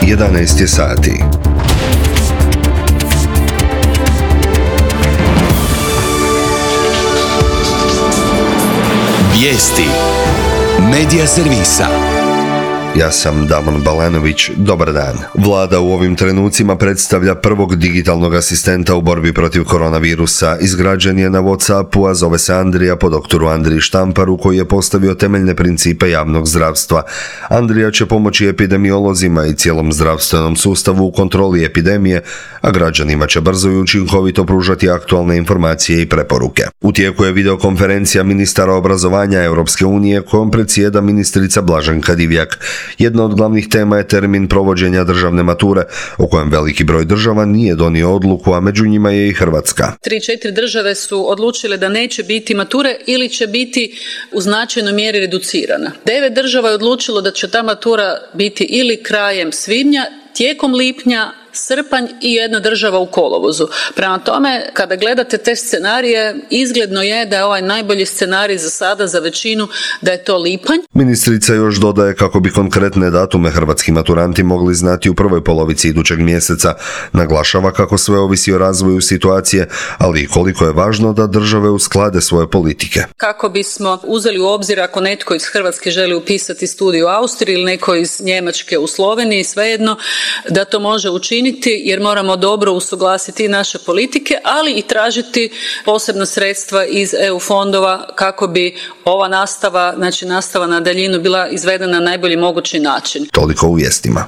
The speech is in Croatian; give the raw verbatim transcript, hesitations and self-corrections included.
jedanaest je sati. Vijesti Medija servisa. Ja sam Damon Balanović, dobar dan. Vlada u ovim trenucima predstavlja prvog digitalnog asistenta u borbi protiv koronavirusa. Izgrađen je na WhatsAppu, a zove se Andrija po doktoru Andriji Štamparu, koji je postavio temeljne principe javnog zdravstva. Andrija će pomoći epidemiolozima i cijelom zdravstvenom sustavu u kontroli epidemije, a građanima će brzo i učinkovito pružati aktualne informacije i preporuke. U tijeku je videokonferencija ministara obrazovanja Europske unije kojom predsjeda ministrica Blaženka Divjak. Jedna od glavnih tema je termin provođenja državne mature, o kojem veliki broj država nije donio odluku, a među njima je i Hrvatska. Tri, četiri države su odlučile da neće biti mature ili će biti u značajnoj mjeri reducirana. Devet država je odlučilo da će ta matura biti ili krajem svibnja, tijekom lipnja, srpanj i jedna država u kolovozu. Prema tome, kada gledate te scenarije, izgledno je da je ovaj najbolji scenarij za sada, za većinu, da je to lipanj. Ministrica još dodaje kako bi konkretne datume hrvatski maturanti mogli znati u prvoj polovici idućeg mjeseca. Naglašava kako sve ovisi o razvoju situacije, ali i koliko je važno da države usklade svoje politike. Kako bismo uzeli u obzir ako netko iz Hrvatske želi upisati studij u Austriji ili neko iz Njemačke u Sloveniji, svejedno, da to može učiniti jer moramo dobro usuglasiti naše politike, ali i tražiti posebna sredstva iz E U fondova kako bi ova nastava, znači nastava na daljinu bila izvedena na najbolji mogući način. Toliko u vijestima.